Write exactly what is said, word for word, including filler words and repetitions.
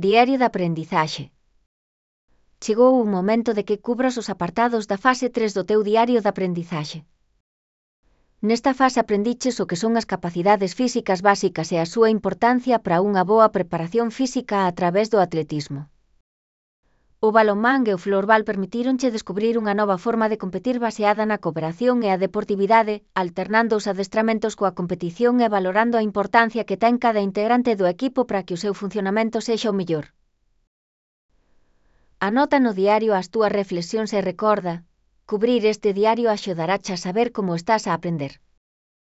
Diario de aprendizaxe. Chegou o momento de que cubras os apartados da fase tres do teu diario de aprendizaxe. Nesta fase aprendiches o que son as capacidades físicas básicas e a súa importancia para unha boa preparación física a través do atletismo. O balonmán e o florbal permitíronche descubrir unha nova forma de competir baseada na cooperación e a deportividade, alternando os adestramentos coa competición e valorando a importancia que ten cada integrante do equipo para que o seu funcionamento sexa o mellor. Anota no diario as túas reflexións e recorda, cubrir este diario axudarache a saber como estás a aprender.